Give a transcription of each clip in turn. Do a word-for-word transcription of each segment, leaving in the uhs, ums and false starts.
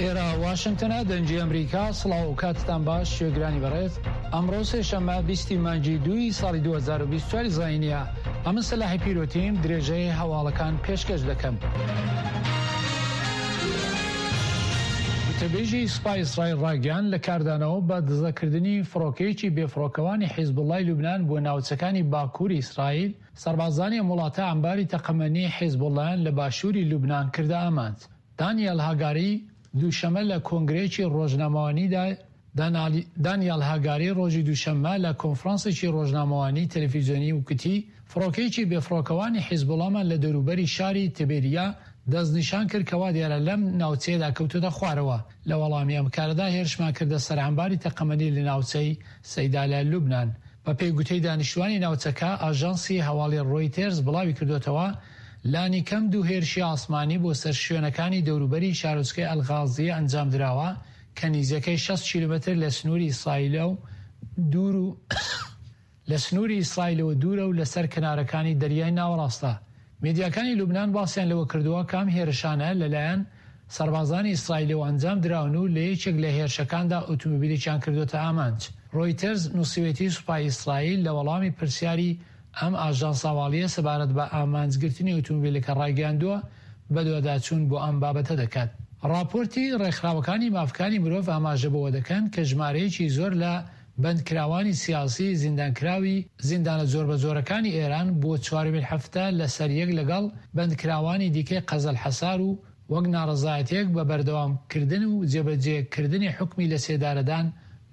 ئێرە واشنگتنە، دەنگی ئەمریکا. سڵاو و کاتتان باش گوێگرانی بەڕێز. ئەمڕۆ سێشەممە بیستی مانگی دووی ساڵی دوو هەزار و بیست و چوار زایینیە. ئەمن سەلاحی پیرۆتیم درێژەی هەواڵەکان پێشکەش دەکەم. وتەبێژی سوپای ئیسرائیل ڕایگەیاند لە کاردانەوە بە دزەکردنی فڕۆکەیەکی بێفڕۆکەوانی حیزبوڵڵای لوبنان بۆ ناوچەکانی باکووری ئیسرائیل، سەربازانی ئەم وڵاتە عەمباری تەقەمەنی حیزبوڵڵایان لە باشووری لوبنان کردە ئامانج. دانیال هاگاری دووشەممە لە کۆنگرەیەکی ڕۆژنامەوانیدا دانیال هاگاری ڕۆژی دووشەممە لە کۆنفرانسێکی ڕۆژنامەوانی تەلەفیزیۆنی وتی فڕۆکەیەکی بێفڕۆکەوانی حیزبوڵڵامان لە دەوروبەری شاری تبێریا دەستنیشان کرد کە وا دیارە لەم ناوچەیەدا کەوتۆتە خوارەوە. لە وەڵامی ئەم کارەدا هێرشمان کردە سەر عەمباری تەقەمەنی لە ناوچەی سەیدا لە لوبنان. بەپێی گوتەی دانیشتوانی ناوچەکە، ئاژانسی هەواڵی ڕۆیتێرز بڵاوی کردۆتەوە لانی کەم دوو هێرشی ئاسمانی بۆ سەر شوێنەکانی دەوروبەری شارۆچکەی ئەلغازیە ئەنجام دراوە کە نیزیکەی شەست کیلۆمەتر لە سنووری ئیسرائیلەوە دوور و لە سنووری ئیسرائیلەوە دوورە و لەسەر کەنارەکانی دەریای ناوەڕاستە. میدیاکانی لوبنان باسیان لەوە کردووە کە ئەم هێرشانە لەلایەن سەربازانی ئیسرائیلەوە ئەنجام دراون و لە یەکێک لە هێرشەکاندا ئۆتۆمۆبیلێکیان کردووەتە ئامانج. ڕۆیتەرز نووسیوێتی سوپای ئیسرائیل لە وەڵامی پرسیاری ئەم ئاژانسە هەواڵییە سەبارەت بە ئامانجگرتنی ئۆتۆمۆبیلەکە ڕایگەیاندووە بەدواداچوون بۆ ئەم بابەتە دەکات. ڕاپۆرتی ڕێکخراوەکانی مافکانی مرۆڤ ئاماژە بەوە دەکەن کە ژمارەیەکی زۆر لە بەندکراوانی سیاسی زیندانکراوی زیندانە جۆربەجۆرەکانی ئێران بۆ چوارەمین هەفتە لەسەر یەک لەگەڵ بەندکراوانی دیکەی قەزەلحەسار و وەک ناڕەزایەتیەک بە بەردەوام کردن و جێبەجێ کردنی حوکمی لەسێدارەدان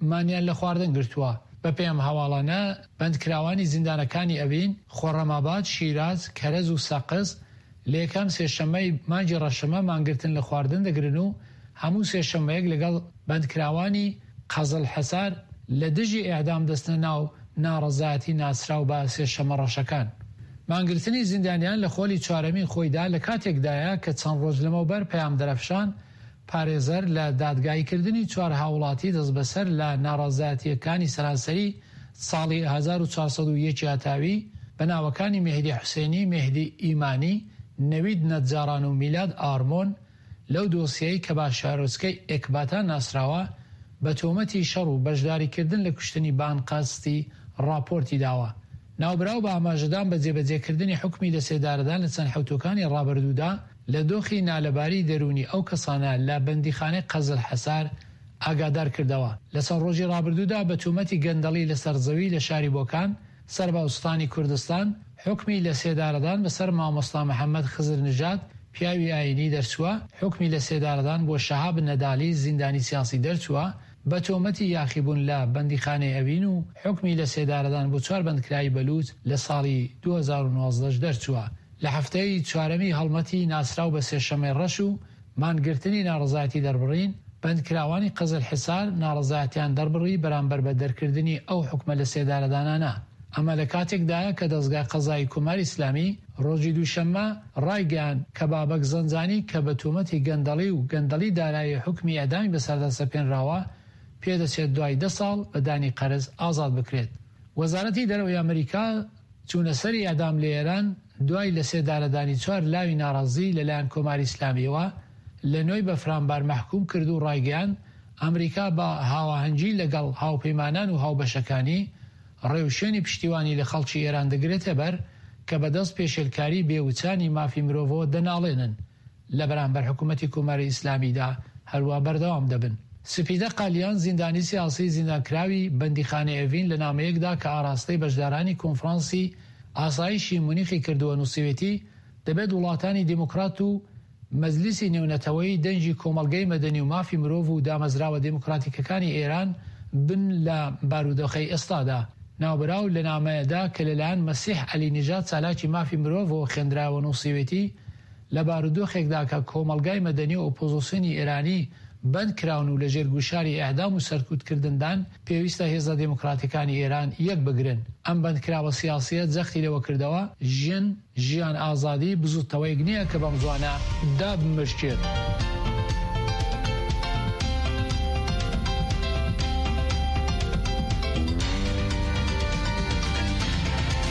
مانیان لە خواردن گرتووە. بەپێی ئەم هەواڵانە بەندکراوانی زیندانەکانی ئەوین، خۆڕەماباد، شیراز، کەرەج و سەقز لە یەکەم سێشەممەی مانگی ڕەشەمە مانگرتن لە خواردن دەگرن و هەموو سێشەممەیەک لەگەڵ بەندکراوانی قەزڵحەسار لە دژی ئێعدام دەچنە ناو ناڕەزایەتی ناسراو بە سێشەممە ڕەشەکان. مانگرتنی زیندانیان لە خۆلی چوارەمین خۆیدا لە کاتێکدایە کە چەند ڕۆژ لەمەوبەر پەیام دەرەفشان پارێزەر لە دادگاییکردنی چوار هاووڵاتی دەستبەسەر لە ناڕەزایەتییەکانی سەرانسەری ساڵی هەزار و چوار سەد و یەک هەتاوی بە ناوەکانی مێهدی حوسێنی، مێهدی ئیمانی، نەوید نەجاڕان و میلاد ئارمۆن لەو دۆسیەی کە بە شارۆچکەی ئێکباتان ناسراوە بە تۆمەتی شەڕ و بەشداریکردن لە کوشتنی بە ئەنقەستی ڕاپۆرتی داوە. ناوبراو بە ئاماژەدان بە جێبەجێکردنی حوکمی لەسێدارەدان لە چەند حەوتووەکانی ڕابردوودا لە دۆخی نالەباری دەروونی ئەو کەسانە لە بەندیخانەی قەزلحەسار ئاگادار کردەوە. لە چەند ڕۆژی ڕابردوودا بە تۆمەتی گەندەڵی لەسەر زەوی لە شاری بۆکان سەر بە ئوستانی کوردستان حوکمی لەسێدارەدان بەسەر مامۆستا محەممەد خزرنژاد پیاوی ئایینی دەرچووە، حوکمی لەسێدارەدان بۆ شەهاب نەدالی زیندانی سیاسی دەرچووە بە تۆمەتی یاخیبوون لە بەندیخانەی ئەوین و حوکمی لەسێدارەدان بۆ چوار بەندکراوی بەلووچ لە ساڵی دوو هەزار و نۆزدە دەرچووە. لە هەفتەی چوارەمی هەڵمەتی ناسراو بە سێشەممەی ڕەش و مانگرتنی ناڕەزایەتی دەربڕین، بەندکراوانی قزلحسار ناڕەزایەتیان دەربڕی بەرامبەر بە دەرکردنی ئەو حوکمە لەسێدارەدانانە. ئەمە لە کاتێکدایە کە دەزگای قەزایی کۆماری ئیسلامی ڕۆژی دووشەممە ڕایگەیاند کە بابەک زەنجانی کە بە تۆمەتی گەندەڵی و گەندەڵی دارایی حوکمی ئێعدامی بەسەردا سەپێنراوە، پێدەچێت دوای دە ساڵ بە دانی قەرز ئازاد بکرێت. وەزارەتی دەرەوەی ئەمریکا چوونەسەری ئێعدام لە ئێران دوای لەسێدارەدانی چوار لاوی ناڕازی لەلایەن کۆماری ئیسلامییەوە لە نۆی بەفرانبار مەحکووم کرد و ڕایگەیاند ئەمریکا بە هاواهەنگی لەگەڵ هاوپەیمانان و هاوبەشەکانی ڕێوشوێنی پشتیوانی لە خەڵکی ئێران دەگرێتەبەر کە بەدەست پێشێلکاری بێ وچانی مافی مرۆڤەوە دەناڵێنن لە بەرامبەر حکوومەتی کۆماری ئیسلامیدا هەروا بەردەوام دەبن. سپیدە قالیان زیندانی سیاسی زیندانکراوی بەندیخانەی ئەڤین لە نامەیەکدا کە ئاراستەی بەشدارانی کۆنفرانسی ئاسایشی مونیخی کردووە نووسیوێتی دەبێت وڵاتانی دێموکرات و مەجلیسی نێونەتەوەیی دەنگی کۆمەڵگەی مەدەنی و مافی مرۆڤ و دامەزراوە دێموکراتیکەکانی ئێران بن لە بارودۆخەی ئێستادا. ناوبراو لە نامەیەدا کە لەلایەن مەسیح عەلی نژاد چالاکی مافی مرۆڤەوە خوێندرایەوە نووسیوێتی لە بارودۆخێکدا کە کۆمەڵگای مەدەنی و ئۆپۆزۆسیۆنی ئێرانی بەند کراون و لەژێر گوشاری ئێعدام و سەرکوتکردندان، پێویستە هێزە دێموکراتەکانی ئێران یەک بگرن. ئەم بەندکراوە سیاسییە جەختی لەوە کردەوە، ژن، ژیان، ئازادی بزووتنەوەیەک نییە کە بەم زووانە دابمرکێت.